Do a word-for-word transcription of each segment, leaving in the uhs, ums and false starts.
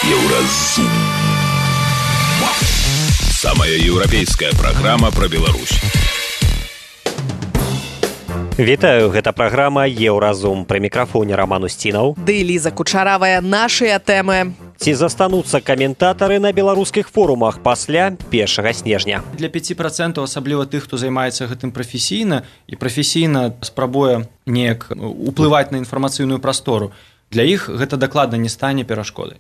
Еўразум. Самая еўрапейская праграма пра Беларусь. Вітаю, гэта праграма Еўразум. Пры мікрафоне Роман Устінаў. Ды Ліза Кучаравая, нашыя тэмы. Ці застануцца каментатары на беларускіх форумах пасля першага снежня? Для пяці працэнтаў, асабліва тых, хто займаецца гэтым прафесійна і прафесійна спрабуе неяк уплываць на інфармацыйную прастору, для іх гэта дакладна не стане перашкодай.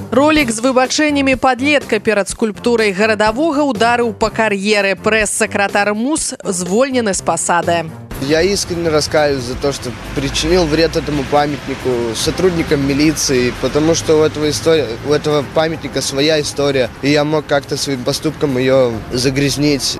Ролік з выбачэннямі падлетка перад скульптурай гарадавога ударыў па кар'еры. Прэс-сакратар МУС звольнены с посады. Я искренне раскаиваюсь за то, что причинил вред этому памятнику сотрудникам милиции, потому что у этого, история, у этого памятника своя история, и я мог как-то своим поступком ее загрязнить.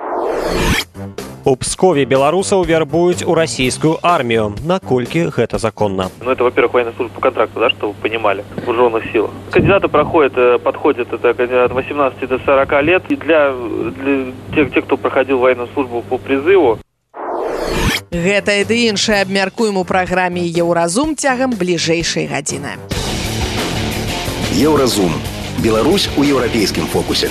У Пскове беларусаў вярбуюць у российскую армию. Наколькі гэта законно? Ну, это, во-первых, военная служба по контракту, да, чтобы вы понимали, в вооруженных силах. Кандидаты проходят, подходят это от восемнадцати до сорока лет. И для, для тех, тех, кто проходил военную службу по призыву. Гэта і ды іншае абмяркуем у праграме Еўразум цягам бліжэйшай гадзіны. Еўразум. Беларусь у еўрапейскім фокусе.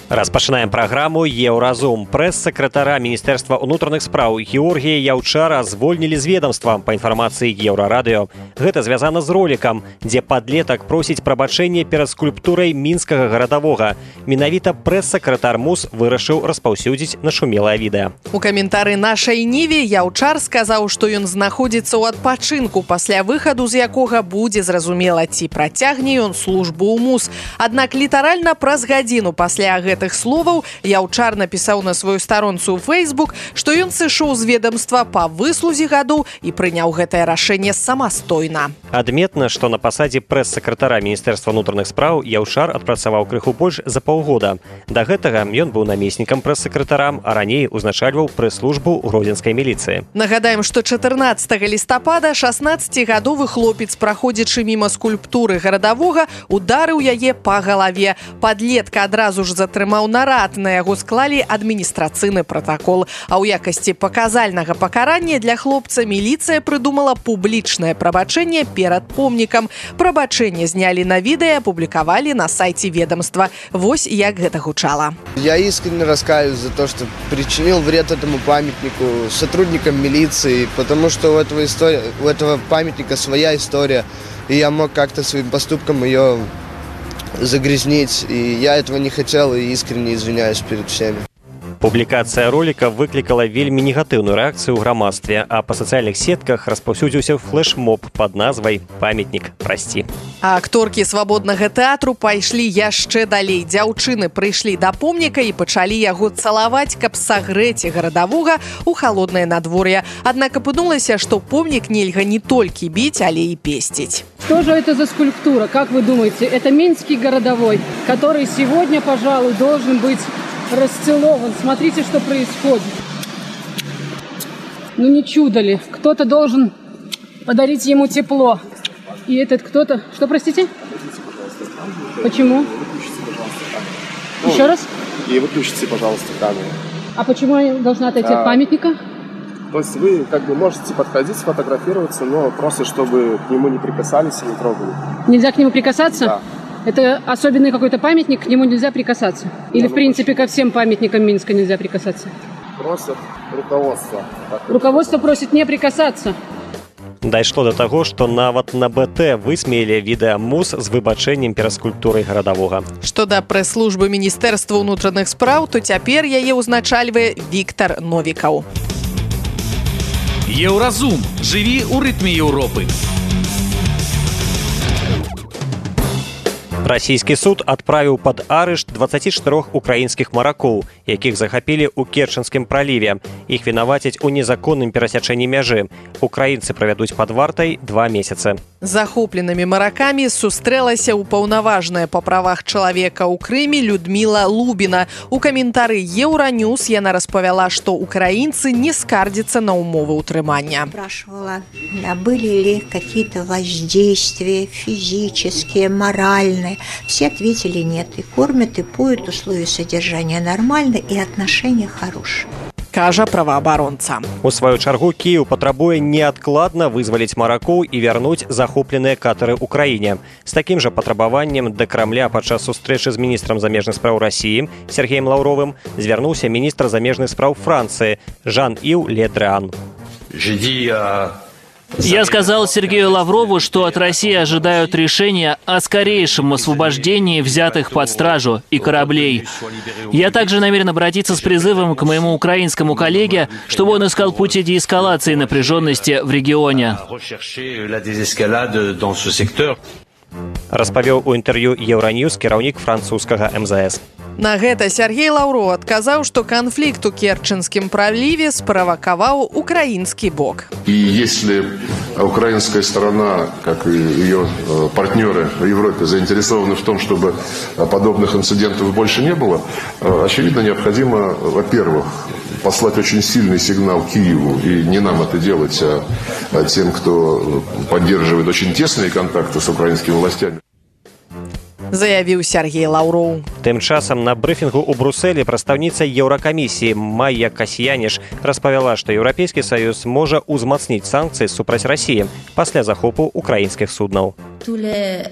Распачынаем праграму Еўразум. Прэс-сакратара Міністэрства ўнутраных спраў Георгія Яўчара звольнілі з ведамства, па інфармацыі Еўрарадыё. Гэта звязана з ролікам, дзе падлетак просіць прабачэнне перад скульптурай мінскага гарадавога. Менавіта прэс-сакратар МУС вырашыў распаўсюдзіць нашумелае відэа. У каментары нашай Ніве Яўчар сказаў, што ён знаходзіцца ў адпачынку, пасля выхаду з якога будзе зразумела, ці працягне ён службу ў МУС. Аднак літаральна праз гадзіну пасля гэтага гэтых словаў Яўчар напісаў на сваю старонцу ў Facebook, што ён сышоў з ведамства па выслузе гадоў і прыняў гэтае рашэнне самастойна. Адметна, што на пасадзе прэс-сакратара Міністэрства ўнутраных спраў Яўчар адпрацаваў крыху больш за паўгода. Да гэтага ён быў намеснікам прэс-сакратара, а раней узначальваў прэс-службу гродзенскай міліцыі. Нагадаем, што чатырнаццатага лістапада шаснаццацігадовы хлопец, праходзячы міма скульптуры гарадавога, ударыў яе па галаве. Падлетка адразу ж затрымаў нарад, на яго склалі адміністрацыйны пратакол. А ў якасці паказальнага пакарання для хлопца міліцыя прыдумала публічнае прабачэнне перад помнікам. Прабачэнне знялі на відэа, апублікавалі на сайце ведомства. Вось як гэта гучала. Я искренне раскаиваюсь за то, что причинил вред этому памятнику сотрудникам милиции, потому что у этого, история, у этого памятника своя история, и я мог как-то своим поступком ее загрязнить, и я этого не хотел, и искренне извиняюсь перед всеми. Публікацыя роліка выклікала вельмі негатыўную рэакцыю ў грамадстве, а па сацыяльных сетках распаўсюдзіўся флэш-моб пад назвай «Памятнік, прасці». А акторкі свабоднага тэатру пайшлі яшчэ далей. Дзяўчыны прыйшлі да помніка і пачалі яго цалаваць, каб сагрэць гарадавога ў халоднае надвор'е. Аднак апынулася, што помнік нельга не толькі біць, але і песціць. Что же это за скульптура? Как вы думаете? Это Минский городовой, который сегодня, пожалуй, должен быть расцелован. Смотрите, что происходит. Ну не чудо ли? Кто-то должен подарить ему тепло. И этот кто-то... Что, простите? Почему? Еще раз? И выключите, пожалуйста, камеру. А почему я должна отойти а... от памятника? То есть вы как бы можете подходить, сфотографироваться, но просто чтобы к нему не прикасались и не трогали. Нельзя к нему прикасаться? Да. Это особенный какой-то памятник, к нему нельзя прикасаться? Или, да, в принципе, ко всем памятникам Минска нельзя прикасаться? Просят руководство. Руководство просит не прикасаться. Дайшло до таго, што нават на БТ высмеялі відэа МУС з выбачэннем перад скульптурай гарадавога. Што да прэс-службы Міністэрства ўнутраных спраў, то цяпер яе ўзначальвае Віктар Новікаў. Еўразум. Жыві ў рытме Еўропы. Расійскі суд адправіў пад арышт дваццаці чатырох украінскіх маракоў, якіх захапілі ў Керченскім праліве. Іх вінавацяць у незаконным перасячэнні мяжы. Украінцы правядуць пад вартай два месяцы. Захопленымі маракамі сустрэлася ўпаўнаважная па правах чалавека ў Крыме Людміла Лубіна. У каментары Еўраньюз яна распавяла, што украінцы не скардзяцца на умовы ўтрымання. Спрашивала, были ли какие-то воздействия физические, моральные. Все ответили нет. И кормят, и поют, условия содержания нормальные, и отношения хорошие. кажа праваабаронца. У сваю чаргу Кіеў патрабуе неадкладна вызваліць маракоў і вярнуць захопленыя катары ў краіне. З такім жа патрабаваннем да Крамля падчас сустрэчы з міністрам замежных спраў Расіі Сергеем Лаўровым звярнуўся міністр замежных спраў Францыі Жан-Ив Ле Дрян. Я сказал Сергею Лаврову, что от России ожидают решения о скорейшем освобождении взятых под стражу и кораблей. Я также намерен обратиться с призывом к моему украинскому коллеге, чтобы он искал пути деэскалации напряженности в регионе. Распавёў у інтэрв'ю Еўраньюз кіраўнік французскага эм зэ эс. На гэта Сергей Лаўроў адказаў, што канфлікт у Керченскім праліве справакаваў украінскі бок. И если украинская сторона, как и ее партнеры в Европе, заинтересованы в том, чтобы подобных инцидентов больше не было, очевидно, необходимо, во-первых, послать очень сильный сигнал Киеву, и не нам это делать, а тем, кто поддерживает очень тесные контакты с украинскими властями. Заявіў Сергей Лаўроў. Тым часам на брыфінгу ў Брусэлі прадстаўніца Еўракамісіі Майя Касьяніш распавяла, што Еўрапейскі саюз можа ўзмацніць санкцыі супраць Расіі пасля захопу украінскіх суднаў. Любые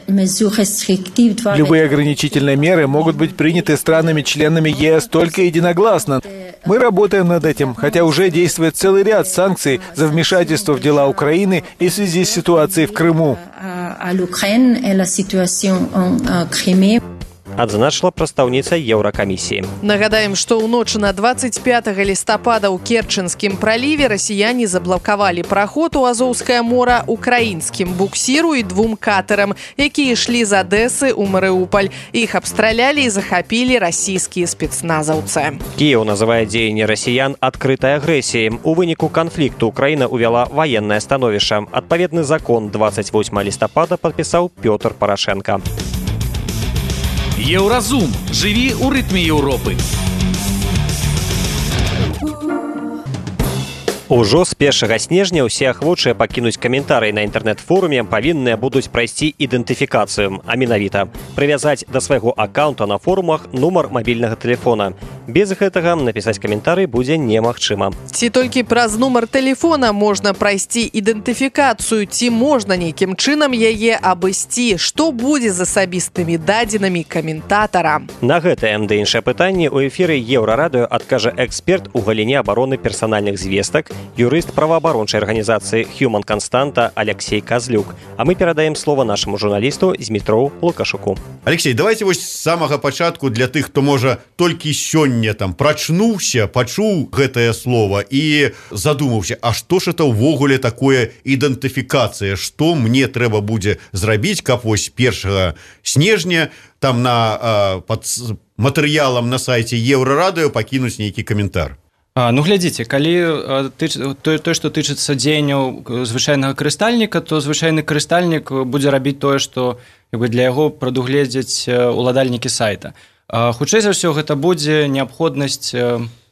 ограничительные меры могут быть приняты странами-членами е эс только единогласно. Мы работаем над этим, хотя уже действует целый ряд санкций за вмешательство в дела Украины и в связи с ситуацией в Крыму. Адзначыла прадстаўніца Еўракамісіі. Нагадаем, што ў ноч на двадцать пятого лістапада ў Керченскім праліве расіяне заблакавалі праход у Азоўскае мора украінскім буксіру і двум катарам, якія ішлі з Адэсы ў Марыуполь. Іх абстралялі і захапілі расійскія спецназаўцы. Кіеў называе дзеянні расіян адкрытай агрэсіяй. У выніку канфлікту Украіна ўвяла ваеннае становішча. Адпаведны закон двадцать восьмого лістапада падпісаў Пётр Парашенка. Еўразум. Жыві ў рытме Еўропы. Ужо з першага снежня ўсе ахвочыя пакінуць каментарый на інтэрнэт-форуме павінныя будуць прайсці ідэнтыфікацыю, а менавіта прывязаць да свайго аккаунта на форумах нумар мабільнага тэлефона. Без гэтага напісаць каментарый будзе немагчыма. Ці толькі праз нумар тэлефона можна прайсці ідэнтыфікацыю, ці можна нейкім чынам яе абысці, што будзе з асабістымі дадзенымі каментатара. На гэтае ды іншае пытанне ў эфіры Еўрарадыё адкажа эксперт у галіне абароны персанальных звестак, юрыст праваабарончай арганізацыі Human Константа Алексей Козлюк. А мы перадаем слово нашаму журналісту Змітроў Лукашуку. Алексей, давайте вось з самага пачатку для тых, хто можа толькі сёння там прачнуўся, пачуў гэтае слово і задумаўся, а што ж это ўвогуле такое ідэнтыфікацыя, што мне трэба будзе зрабіць, каб вось першага снежня там на пад матэрыялам на сайце Еўрарадыё пакінуць нейкі каментар. А, ну, глядзіце, калі тыч, то, то, што тычыцца дзеянняў звычайнага карыстальніка, то звычайны карыстальнік будзе рабіць тое, што як бы, для яго прадугледзяць уладальнікі сайта. А, хутчэй за ўсё, гэта будзе неабходнасць,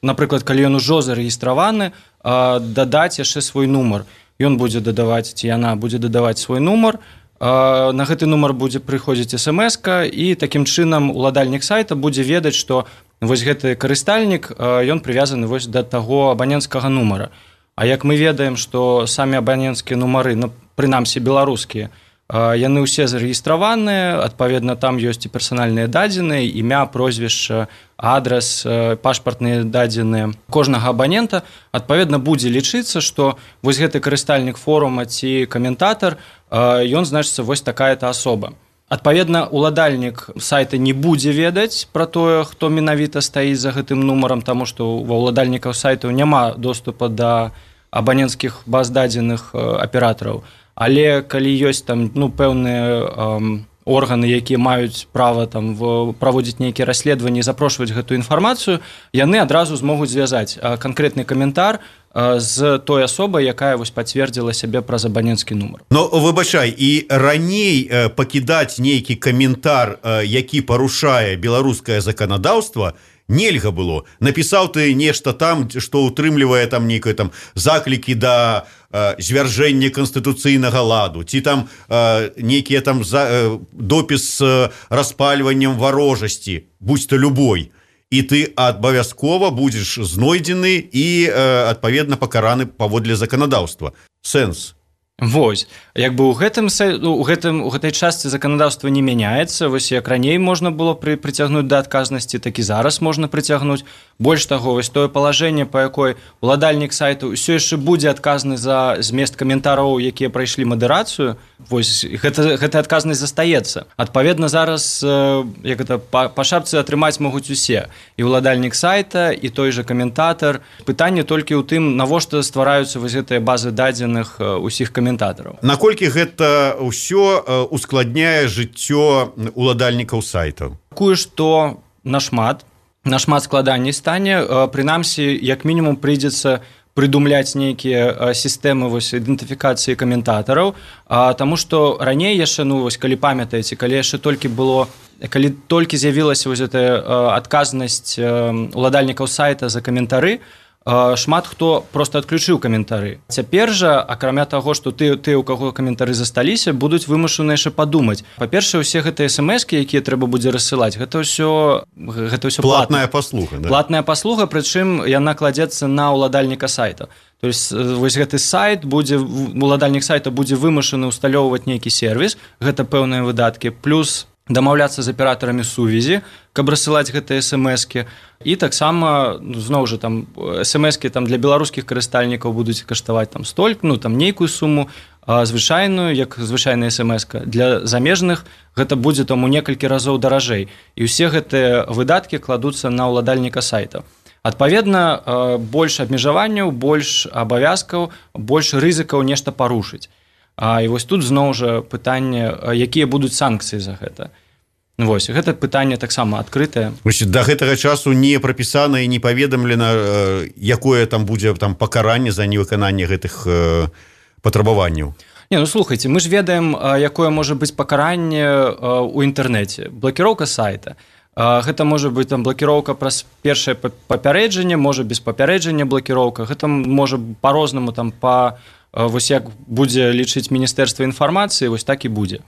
напрыклад, калі ён ужо зарэгістраваны, а, дадаць яшчэ свой нумар. Ён будзе дадаваць, ці яна будзе дадаваць свой нумар, а, на гэты нумар будзе прыходзіць эс эм эска, і такім чынам уладальнік сайта будзе ведаць, што вось гэты карыстальнік, ён прывязаны вось да таго абаненцкага нумара. А як мы ведаем, што самі абаненцкія нумары, ну, прынамсі беларускія, яны ўсе зарэгістраваныя, адпаведна, там ёсць і персанальныя дадзеныя, імя, прозвішча, адрас, пашпартныя дадзеныя кожнага абанента, адпаведна, будзе лічыцца, што вось гэты карыстальнік форума ці каментатар, ён, значыцца, вось такая-то асоба. Адпаведна, уладальнік сайта не будзе ведаць пра тое, хто менавіта стаіць за гэтым нумарам, таму што ва ўладальнікаў сайтаў няма доступа да абаненцкіх баз дадзеных аператараў. Але калі ёсць там, ну, пэўныя эм, органы, якія маюць права там праводзіць нейкія расследаванні і запрошваць гэтую інфармацыю, яны адразу змогуць звязаць канкрэтны каментар з той асобай, якая вось пацвердзіла сябе праз абаненцкі нумар. Но выбачай, і раней пакідаць нейкі каментар, які парушае беларускае заканадаўства, нельга было. Напісаў ты нешта там, што ўтрымлівае там нейкае там заклікі да э, звяржэння канстытуцыйнага ладу, ці там э, нейкія там за, э, допіс з распальваннем варожасці, будь то любой. і ты абавязкова будзеш знойдзены і адпаведна пакараны паводле заканадаўства. Сэнс. Вось, як бы ў гэтым у гэтым у гэтай частцы заканадаўства не мяняецца. Вось як раней можна было пры прыцягнуць да адказнасці, так і зараз можна прыцягнуць. Больш таго, вось тое палажэнне, па якой уладальнік сайту ўсё яшчэ будзе адказны за змест каментараў, якія прайшлі мадэрацыю. Вось гэта гэтая адказнасць застаецца. Адпаведна зараз як гэта па, па шапцы атрымаць могуць усе, і уладальнік сайта, і той жа каментатар. Пытанне толькі ў тым, навошта ствараюцца вось гэтыя базы дадзеных усіх каментатараў. Наколькі гэта ўсё ускладняе жыццё уладальнікаў сайтаў? Такое, што нашмат, нашмат складаней стане, прынамсі, як мінімум прыйдзецца прыдумляць нейкія сістэмы вось ідэнтыфікацыі каментатараў, таму што раней яшчэ, ну вось калі памятаеце, калі яшчэ толькі было, калі толькі з'явілася вось гэтая адказнасць уладальнікаў сайта за каментары, шмат хто просто адключыў каментары. Цяпер жа, акрамя таго, што ты, ты у каго каментары засталіся, будуць вымушаны яшчэ падумаць. Па-першае, усе гэтыя смс-кі, якія трэба будзе рассылаць, гэта ўсё гэта ўсё платная паслуга, да? Платная паслуга, прычым яна кладзецца на ўладальніка сайта. То есть вось гэты сайт будзе, уладальнік сайта будзе вымушаны ўсталёўваць нейкі сервіс, гэта пэўныя выдаткі, плюс дамаўляцца з аператарамі сувязі, каб рассылаць гэтыя смс-кі. І таксама, зноў жа, там смс-кі там для беларускіх карыстальнікаў будуць каштаваць там столькі, ну там нейкую суму, а звычайную, як звычайная смс-ка. Для замежных гэта будзе там у некалькі разоў даражэй. І ўсе гэтыя выдаткі кладуцца на ўладальніка сайта. Адпаведна, больш абмежаванняў, больш абавязкаў, больш рызыкаў нешта парушыць. А, і вось тут зноў жа пытанне, якія будуць санкцыі за гэта. Вось, гэта пытанне таксама адкрытае. Да гэтага часу не прапісана і не паведамлена, якое там будзе там пакаранне за невыкананне гэтых э, патрабаванняў. Не, ну слухайце, мы ж ведаем, якое можа быць пакаранне ў інтэрнэце. Блакіроўка сайта. Гэта можа быць там блакіроўка праз першае папярэджанне, можа без папярэджання блакіроўка. Гэта можа па-рознаму там па вось як будзе лічыць Міністэрства інфармацыі, вось так і будзе.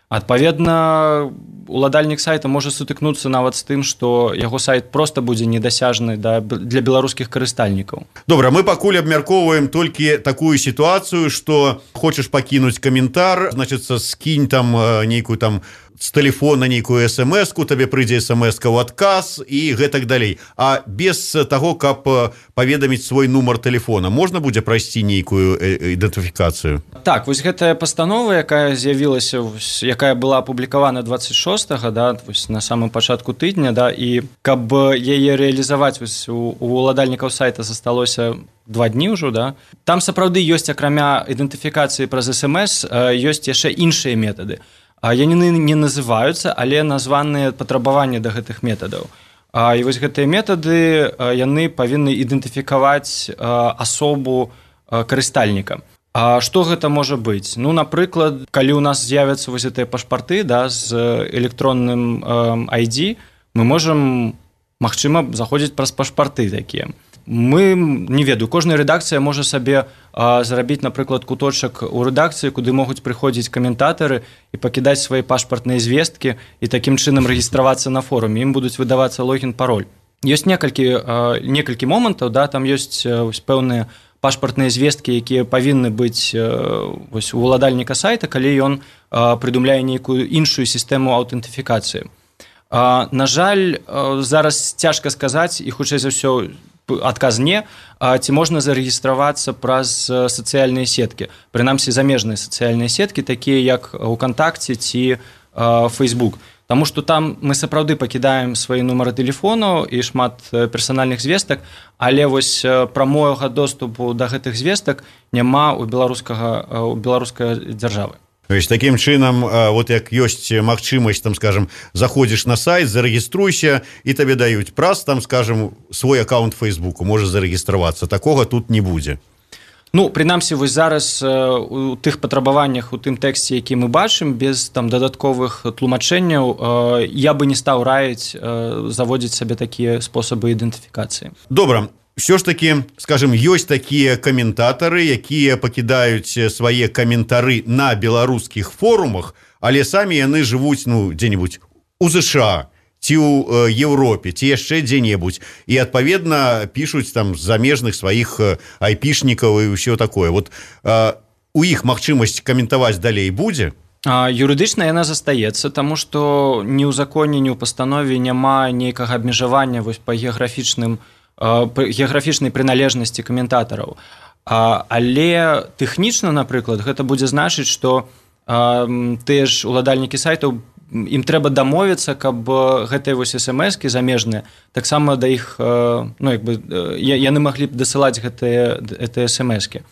Адпаведна, уладальнік сайта можа сутыкнуцца нават з тым, што яго сайт проста будзе недасяжны для беларускіх карыстальнікаў. Добра, мы пакуль абмяркоўваем толькі такую сітуацыю, што хочаш пакінуць каментар, значыцца, скінь там нейкую там з тэлефона нейкую смс-ку, табе прыйдзе смс-ка ў адказ і гэтак далей. А без таго, каб паведаміць свой нумар тэлефона, можна будзе прайсці нейкую ідэнтыфікацыю? Так, вось гэтая пастанова, якая з'явілася, якая была апублікавана дваццаць шостага, да, вось на самым пачатку тыдня, да, і каб яе рэалізаваць, вось у, у уладальнікаў сайта засталося два дні ўжо, да. Там сапраўды ёсць, акрамя ідэнтыфікацыі праз смс, ёсць яшчэ іншыя метады. Яны не называюцца, але названыя патрабаванні да гэтых метадаў. І вось гэтыя метады, яны павінны ідэнтыфікаваць асобу карыстальніка. А што гэта можа быць? Ну, напрыклад, калі ў нас з'явяцца вось гэтыя пашпарты, да, з электронным ай ді, мы можам, магчыма, заходзіць праз пашпарты такія. Мы, не ведаю, кожная рэдакцыя можа сабе а, зрабіць, напрыклад, куточак у рэдакцыі, куды могуць прыходзіць каментатары і пакідаць свае пашпартныя звесткі і такім чынам рэгістравацца на форуме. Ім будуць выдавацца логін-пароль. Ёсць некалькі, а, некалькі момантаў, да, там ёсць вось, пэўныя пашпартныя звесткі, якія павінны быць вось, у уладальніка сайта, калі ён а, прыдумляе нейкую іншую сістэму аўтэнтыфікацыі. А, на жаль, а, зараз цяжка сказаць, і хутчэй за ўсё адказ не, а ці можна зарэгістравацца праз сацыяльныя сеткі, прынамсі замежныя сацыяльныя сеткі, такія як УКонтакце ці Фейсбук. Таму што там мы сапраўды пакідаем свае нумары тэлефону і шмат персанальных звестак, але вось прамога доступу да гэтых звестак няма ў беларускага, ў беларускай дзяржавы. Такім чынам, вот як ёсць магчымасць, там, скажем, заходзіш на сайт, зарэгіструйся, і табе даюць праз, там, скажем, свой аккаунт Фейсбуку, можа зарэгістравацца. Такога тут не будзе. Ну, прынамсі, вось зараз у тых патрабаваннях, у тым тэксце, які мы бачым, без там дадатковых тлумачэнняў, я бы не стаў раіць заводзіць сабе такія спосабы ідэнтыфікацыі. Добра. Все ж таки, скажем, ёсць такія каментатары, якія пакідаюць свае каментары на беларускіх форумах, але самі яны жывуць, ну, дзе-нибудь у ЗША ці ў Еўропе, ці яшчэ дзе-небудзь, і адпаведна пішуць там з замежных сваіх айпішнікаў і ўсё такое. Вот у іх магчымасць каментаваць далей будзе? Юрыдычна яна застаецца, таму што ні ў законе, ні ў пастанове няма нейкага абмежавання вось па геаграфічным геаграфічнай прыналежнасці каментатараў. Але тэхнічна, напрыклад, гэта будзе значыць, што тыя ж уладальнікі сайтаў, ім трэба дамовіцца, каб гэтыя вось эс-эм-эскі замежныя таксама да іх, ну, як бы, яны маглі б дасылаць гэтыя эс-эм-эскі.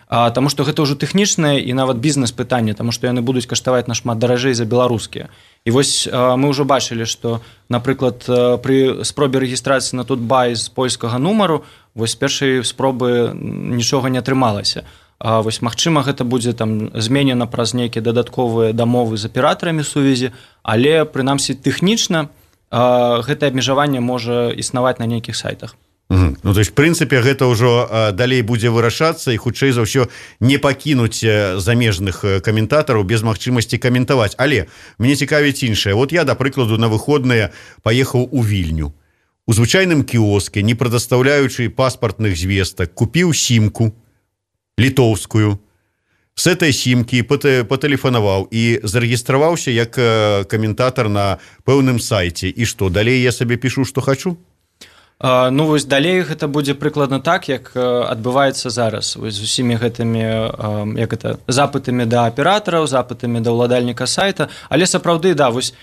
Таму што гэта ўжо тэхнічнае і нават бізнес-пытанне, таму што яны будуць каштаваць нашмат даражэй за беларускія. І вось мы ўжо бачылі, што, напрыклад, пры спробе рэгістрацыі на Тутбай з польскага нумару, вось першай спробы нічога не атрымалася. Вось, магчыма, гэта будзе там зменена праз нейкія дадатковыя дамовы з аператарамі сувязі, але, прынамсі, тэхнічна гэтае абмежаванне можа існаваць на нейкіх сайтах. Угу. Ну, то есть, в прынцыпе, гэта ўжо далей будзе вырашацца і хутчэй за ўсё не пакінуць замежных каментатараў без магчымасці каментаваць. Але мне цікавіць іншае. Вот я, да прыкладу, на выходныя паехаў у Вільню. У звычайным кіоске, не прадастаўляючы паспартных звестак, купіў сімку літоўскую, с этой сімкі патэлефанаваў і зарэгістраваўся як каментатар на пэўным сайце. І што, далей я сабе пішу, што хачу? Ну, вось далей гэта будзе прыкладна так, як адбываецца зараз вось з усімі гэтымі, як это, запытамі да аператараў, запытамі да ўладальніка сайта, але сапраўды, да, вось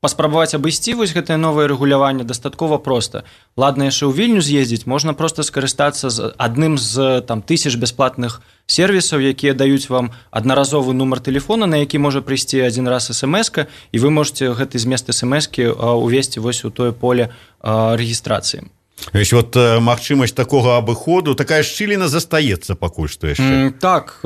паспрабаваць абысці вось гэтае новае рэгуляванне дастаткова проста. Ладна, яшчэ ў Вільню з'ездзіць, можна проста скарыстацца з адным з там тысяч бясплатных сервісаў, якія даюць вам аднаразовы нумар тэлефона, на які можа прыйсці адзін раз эс-эм-эска, і вы можете гэты змест эс-эм-эскі увесці вось у тое поле рэгістрацыі. Вось вот магчымасць такога абыходу, такая шчыліна застаецца пакуль што яшчэ. Так,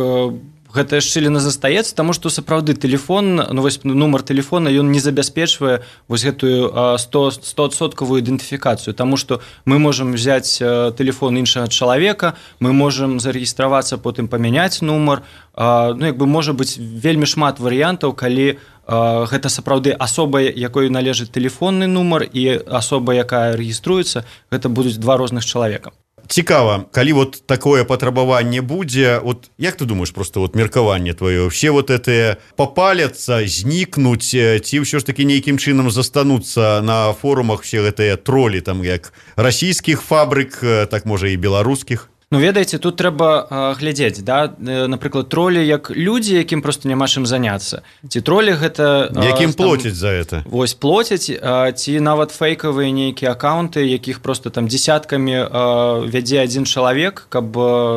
гэтая шчыліна застаецца, таму што сапраўды тэлефон, ну вось нумар тэлефона, ён не забяспечвае вось гэтую стоадсоткавую ідэнтыфікацыю, таму што мы можам взяць тэлефон іншага чалавека, мы можам зарэгістравацца, потым памяняць нумар, ну як бы можа быць вельмі шмат варыянтаў, калі гэта сапраўды асоба, якой належыць тэлефонны нумар, і асоба, якая рэгіструецца, гэта будуць два розных чалавека. Цікава, калі вот такое патрабаванне будзе, вот як ты думаешь, просто вот меркаванне твоё, все вот это попаляцца, знікнуць, ці ўсё ж таки нейкім чынам застануцца на форумах все гэтыя тролі, там як расійскіх фабрык, так можа і беларускіх? Ну, ведаеце, тут трэба глядзець, да? Напрыклад, тролі як людзі, якім проста няма чым заняцца. Ці тролі гэта... Якім плоцяць за это? Вось, плоцяць, ці нават фейкавыя нейкія аккаунты, якіх проста там дзесяткамі вядзе адзін чалавек, каб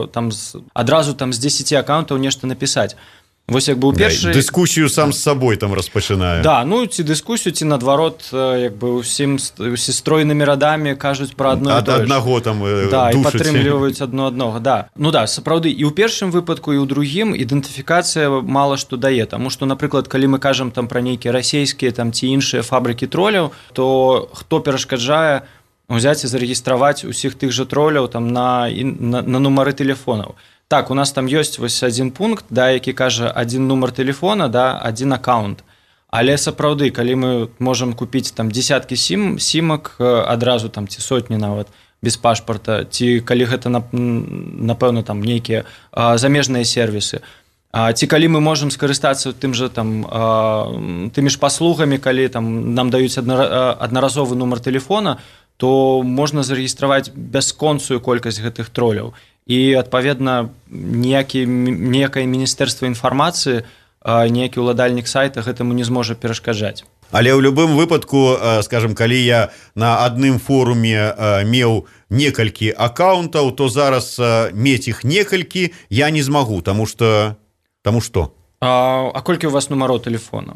там адразу там з дзесяці аккаунтаў нешта напісаць. Вось як бы ў першы... Дыскусію сам з сабой там распачынаю. Да, ну ці дыскусію, ці наадварот, як бы ўсім стройнымі радамі кажуць пра адно і тое ж. Аднаго там душыць. Да, і падтрымліваюць адно аднога, да. Ну да, сапраўды, і ў першым выпадку, і ў другім ідэнтыфікацыя мала што дае, таму што, напрыклад, калі мы кажам там пра нейкія расійскія там ці іншыя фабрыкі троляў, то хто перашкаджае ўзяць і зарэгістраваць усіх тых жа троляў там на, на, на нумары тэлефонаў. Так, у нас там ёсць вось адзін пункт, да, які кажа адзін нумар тэлефона, да, адзін аккаунт. Але сапраўды, калі мы можам купіць там дзесяткі сім, сімак адразу там ці сотні нават без пашпарта, ці калі гэта напэўна там нейкія замежныя сервісы, ці калі мы можам скарыстацца тым жа там тымі ж паслугамі, калі там нам даюць аднаразовы нумар тэлефона, то можна зарэгістраваць бясконцую колькасць гэтых троляў. І, адпаведна, ніякае міністэрства інфармацыі, ніякі ўладальнік сайта гэтаму не зможа перашкаджаць. Але ў любым выпадку, скажем, калі я на адным форуме меў некалькі аккаунтаў, то зараз мець іх некалькі я не змагу, таму што... Таму што? А, а колькі у вас нумароў тэлефонаў?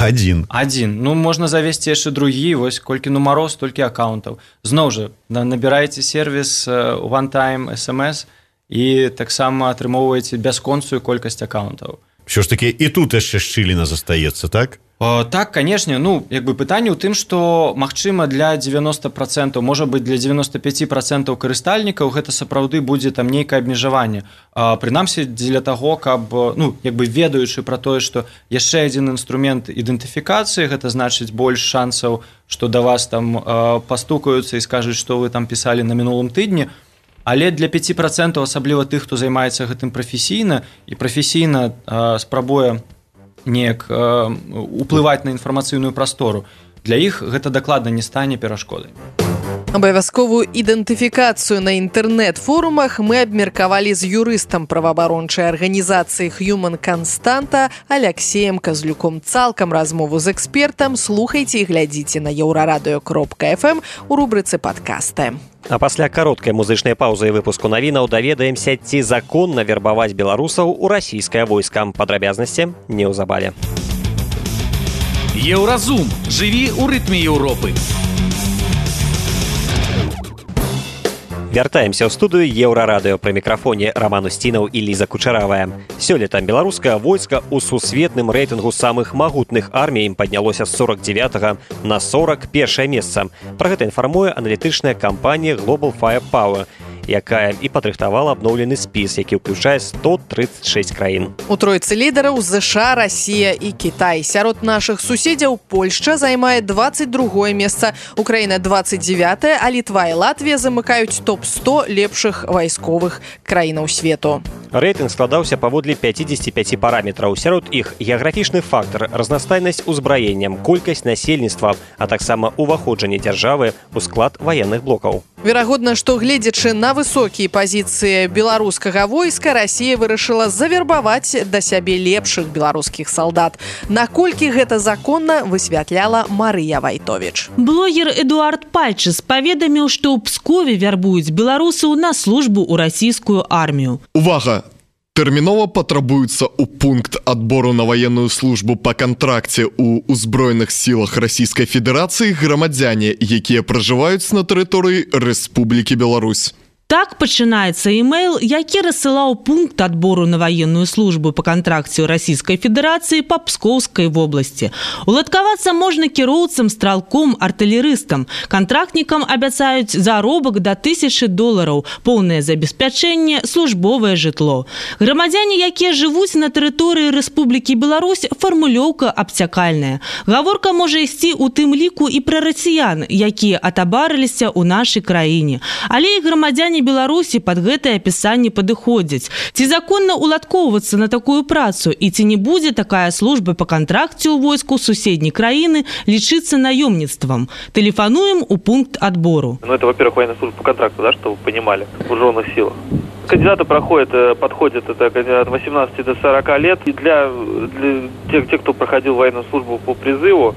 Адзін. Адзін. Ну, можна завесці яшчэ другі, вось колькі нумароў, столькі аккаунтаў. Зноў жа, набіраеце сервіс One Time эс эм эс і таксама атрымоўваеце бясконцую колькасць аккаунтаў. Все ж таки і тут яшчэ шчыліна застаецца, так? О, так, канешне, ну як бы пытанне ў тым, што магчыма для девяносто процентов, можа быць для девяносто пять процентов карыстальнікаў гэта сапраўды будзе там нейкае абмежаванне. Прынамсі дзеля таго, каб ну як бы ведаючы пра тое, што яшчэ адзін інструмент ідэнтыфікацыі, гэта значыць больш шансаў, што да вас там пастукаюцца і скажуць, што вы там пісалі на мінулым тыдні. Але для пяти процентов, асабліва тых, хто займаецца гэтым прафесійна і прафесійна э, спрабуе неяк э, уплываць на інфармацыйную прастору, для іх гэта дакладна не стане перашкодай. Абавязковую ідэнтыфікацыю на інтэрнэт-форумах мы абмеркавалі з юрыстам праваабарончай арганізацыі Human Constanta Алексеем Казлюком. Цалкам размову з экспертам слухайце і глядзіце на еўрарадыё кропка эф эм у рубрыцы падкасты. А пасля кароткай музычнай паўзы і выпуску навінаў даведаемся, ці законна вербаваць беларусаў у расійскае войска. Падрабязнасці неўзабаве. Еўразум. Жыві ў рытме Еўропы. Вяртаемся ў студыю Еўрарадыё. Пры мікрафоне Роман Устінаў і Ліза Кучаравая. Сёлета беларускае войска ў сусветным рэйтынгу самых магутных армій паднялося з сорок девятага на сорок першае месца. Пра гэта інфармуе аналітычная кампанія Global Firepower, якая і падрыхтавала абноўлены спіс, які ўключае сто тридцать шесть краін. У тройцы лідараў ЗША, Расія і Кітай. Сярод нашых суседзяў Польшча займае двадцать другое месца, Украіна двадцать девятое, а Літва і Латвія замыкаюць топ сто лепшых вайсковых краінаў свету. Рэйтынг складаўся паводле пятидесяти пяти параметраў. Сярод іх геаграфічны фактар, разнастайнасць узбраенням, колькасць насельніцтва, а таксама уваходжанне дзяржавы ў склад ваенных блокаў. Верагодна, што гледзячы на высокія пазіцыі беларускага войска, Расія вырашыла завербаваць да сябе лепшых беларускіх салдат. Наколькі гэта законна, высвятляла Марыя Вайтовіч. Блогер Эдуард Пальчыс паведаміў, што ў Пскове вярбуюць беларусаў на службу ў расійскую армію. Увага! Тэрмінова патрабуецца ў пункт адбору на ваенную службу па кантракце ў узброеных сілах Расійскай Федэрацыі грамадзяне, якія пражываюць на тэрыторыі Рэспублікі Беларусь. Так пачынаецца імейл, які рассылаў пункт адбору на ваенную службу па кантракце ў Расійскай Федэрацыі па Пскоўскай вобласці. Уладкавацца можна кіроўцам, стралком, артылерыстам. Кантрактнікам абяцаюць заробак да тысячы долараў, поўнае забеспячэнне, службовае жытло. Грамадзяне, якія жывуць на тэрыторыі Рэспублікі Беларусь, фармулёўка абцякальная. Гаворка можа ісці ў тым ліку і пра расіян, якія атабарыліся ў нашай краіне. Але і грамадзяне Беларусі пад гэтае апісанне падыходзяць. Ці законна уладкоўвацца на такую працу і ці не будзе такая служба па кантракце ў войску суседняй краіны лічыцца наёмніцтвам? Тэлефануем у пункт отбору. Ну, это, во-первых, военная служба по контракту, да, чтобы вы понимали, в вооруженных силах. Кандидаты проходят, подходят это от восемнадцати до сорока лет. И для, для тех, тех, кто проходил военную службу по призыву,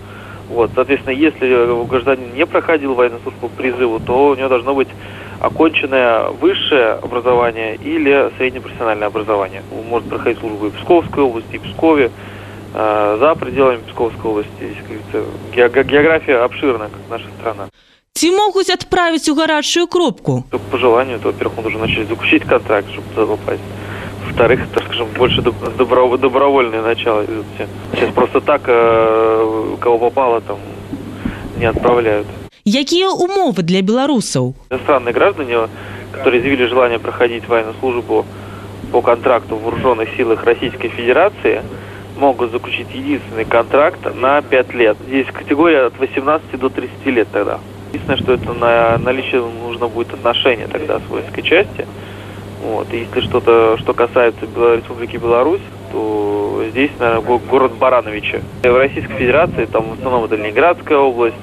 вот, соответственно, если гражданин не проходил военную службу по призыву, то у него должно быть оконченное высшее образование или среднепрофессиональное образование. Он может проходить службу и в Псковской области, и в Пскове, э, за пределами Псковской области. География обширная, как наша страна. Ці могуць адправіць у гарачую кропку? По желанию, то, во-первых, он должен начать заключить контракт, чтобы туда попасть. Во-вторых, так скажем, больше добро, добровольное начало идут все. Сейчас просто так, э, кого попало, там не отправляют. Якія умовы для беларусаў? Иностранные граждане, которые изъявили желание проходить военную службу по контракту в вооруженных силах Российской Федерации, могут заключить единственный контракт на пять лет. Здесь категория от восемнадцати до тридцати лет тогда. Единственное, что это на наличие нужно будет отношения тогда с воинской части. Вот. И если что-то, что касается Республики Беларусь, то здесь, наверное, город Барановичи. В Российской Федерации там в основном это Ленинградская область,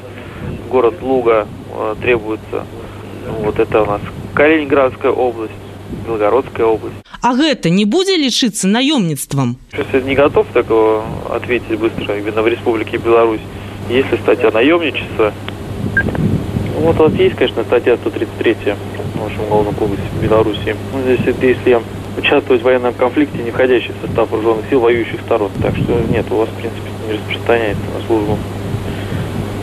город Луга э, требуется. Вот это у нас Калининградская область, Белгородская область. А гэта не будзе лічыцца наёмніцтвам? Сейчас я не готов такого ответить быстро. Именно в Республике Беларусь. Если статья наемничества, ну, вот у вас есть, конечно, статья сто тридцать третья в нашем уголовном кодексе в Беларуси. Ну, здесь это если участвовать в военном конфликте, не входящий в состав вооруженных сил воюющих сторон. Так что нет, у вас, в принципе, не распространяется на службу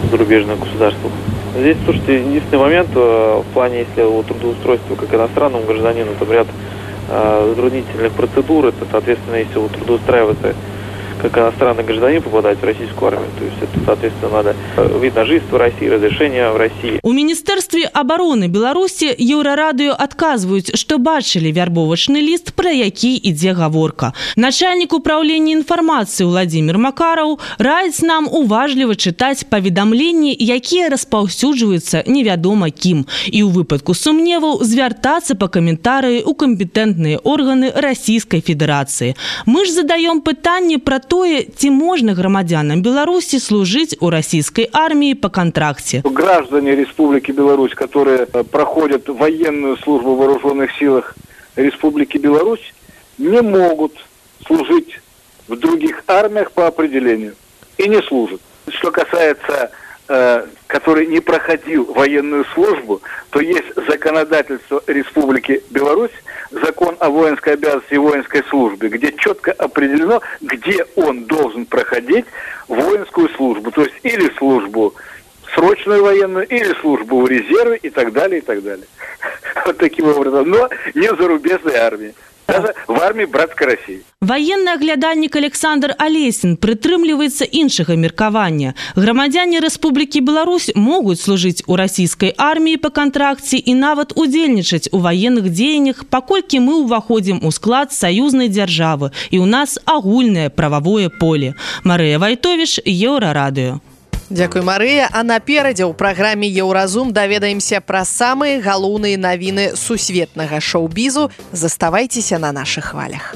в зарубежных государствах. Здесь, слушайте, единственный момент в плане, если о трудоустройстве как иностранному гражданину, там ряд затруднительных процедур. Это, соответственно, если вы трудоустраиваться как иностранный гражданин, попадать в российскую армию. То есть это, соответственно, надо вид на жительство в России, разрешение в России. У Міністэрстве абароны Беларусі Еўрарадыё адказваюць, што бачылі вярбовачны ліст, пра які ідзе гаворка. Начальнік управлення інфармацыі Владимир Макараў раіць нам уважліва чытаць паведамленні, якія распаўсюджваюцца невядома кім, і ў выпадку сумневаў звяртацца па каментарыі ў кампетэнтныя органы Расійскай Федэрацыі. Мы ж задаём пытанне пра тое, ці можна грамадзянам Беларусі служыць у расійскай арміі по контракте. Граждане Республики Беларусь, которые проходят военную службу в вооруженных силах Республики Беларусь, не могут служить в других армиях по определению и не служат. Что касается, э, который не проходил военную службу, то есть законодательство Республики Беларусь, закон о воинской обязанности и воинской службе, где четко определено, где он должен проходить воинскую службу, то есть или службу срочную военную, или службу в резерве и так далее, и так далее. Вот таким образом. Но не в зарубежной армии. Даже в армии братской России. Военны аглядальнік Александр Алесін прытрымліваецца іншага меркавання. Грамадзяне Рэспублікі Беларусь могуць служыць у расійскай арміі па кантракце і нават удзельнічаць у ваенных дзеяннях, паколькі мы ўваходзім у склад саюзнай дзяржавы і ў нас агульнае прававое поле. Марыя Вайтовіш, Еўрарадыё. Дзякуй, Марыя. А наперадзе ў праграме «Еўразум» даведаемся пра самыя галоўныя навіны сусветнага шоу-бізу. Заставайцеся на нашых хвалях.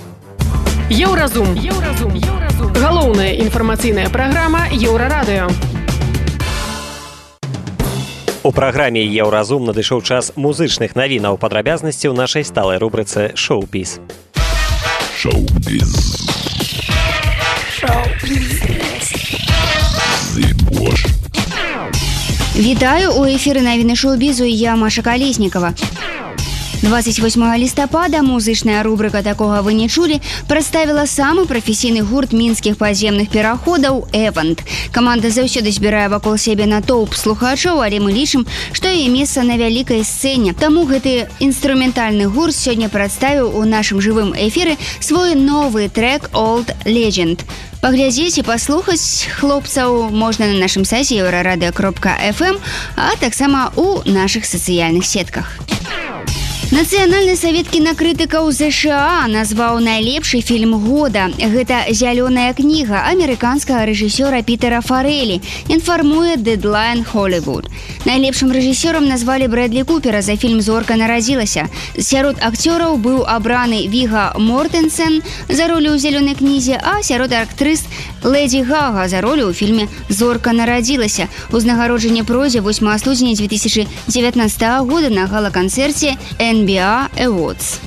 Еўразум. Еўразум. Еўразум. Галоўная інфармацыйная праграма Еўрарадыё. У праграме «Еўразум» надышоў час музычных навінаў, падрабязнасці ў нашай сталай рубрыцы «Шоу-біз». Шоу-біз. Шоу-біз. Вітаю, у эфіры навіны шоу-бізу, я Маша Калеснікава. двадцать восьмого лістапада музычная рубрика «Такога вы не чулі» прадставіла самы прафесійны гурт мінскіх падземных пераходаў «Эвант». Каманда заўсёды збірае вакол сябе натоўп слухачоў, але мы лічым, што яе месца на вялікай сцэне. Таму гэты інструментальны гурт сёння прадставіў у нашым жывым эфіры свой новы трек «Old Legend». Паглядзець і паслухаць хлопцаў можна на нашым сайце еўрарадыё кропка эф эм, а таксама ў нашых сацыяльных сетках. Нацыянальны савет кінакрытыкаў ЗША назваў найлепшы фільм года. Гэта «Зялёная кніга» амерыканскага рэжысёра Пітера Фарэлі, інфармуе Deadline Hollywood. Найлепшым рэжысёрам назвалі Брэдлі Купера за фільм «Зорка нарадзілася». Сярод акцёраў быў абраны Віга Мортэнсен за ролю ў «Зялёнай кнізе», а сярод актрыс Лэдзі Гага за ролю ў фільме «Зорка нарадзілася». Узнагароджанне пройдзе восьмага студзеня две тысячи девятнадцатого года на гала-канцэрце эн би эй Awards.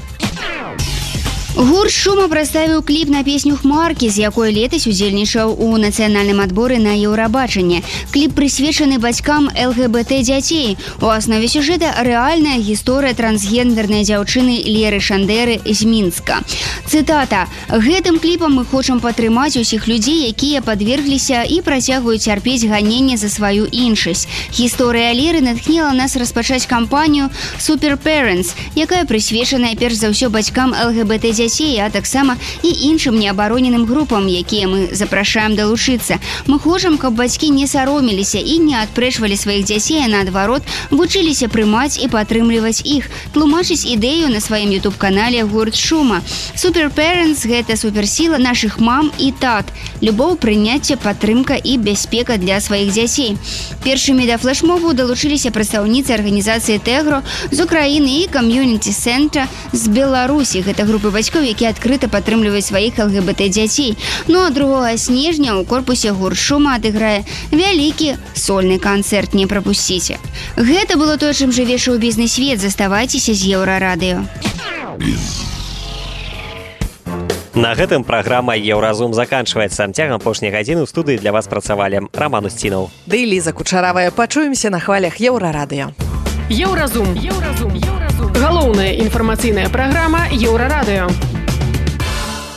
Гурт «Шума» прадставіў кліп на песню «Хмаркі», з якой летась удзельнічаў у нацыянальным адборы на Еўрабачанне. Кліп прысвечаны бацькам эл гэ бэ тэ дзяцей. У аснове сюжэта рэальная гісторыя трансгендернай дзяўчыны Леры Шандэры з Мінска. Цытата: «Гэтым кліпам мы хочам падтрымаць усіх людзей, якія падвергліся і працягваюць цярпець ганенне за сваю іншасць. Гісторыя Леры натхніла нас распачаць кампанію «Super Parents», якая прысвечаная перш за ўсё бацькам эл гэ бэ тэ дзяцей, а таксама і іншым неабароненым групам, якія мы запрашаем далучыцца. Мы хочам, каб бацькі не саромеліся і не адпрэчвалі сваіх дзяцей, а наадварот вучыліся прымаць і падтрымліваць іх, тлумачыць ідэю на сваім ютуб-канале гурт «Шума». Super Parents – гэта суперсіла нашых мам і тат, любоў, прыняцце, падтрымка і бяспека для сваіх дзяцей. Першымі да флэшмобу далучыліся прадстаўніцы арганізацыі «Тегро» з Украіны і кам'юніці-цэнтра з Беларусі. Гэта групы бацькоў, які адкрыта падтрымліваюць сваіх эл гэ бэ тэ дзяцей. Ну а другога снежня ў корпусе гурт «Шума» адыграе вялікі сольны канцэрт, не прапусціце. Гэта было тое, чым жыве шоу-бізны свет. Заставайцеся з Еўрарадыё. На гэтым праграма «Еўразум» заканчваецца. Цягам апошняй гадзіны ў студыі для вас працавалі Раман Усцінаў. Ды і Ліза Кучаравая. Пачуемся на хвалях Еўрарадыё. Еўразум. Еўразум. Галоўная інфармацыйная праграма Еўрарадыё.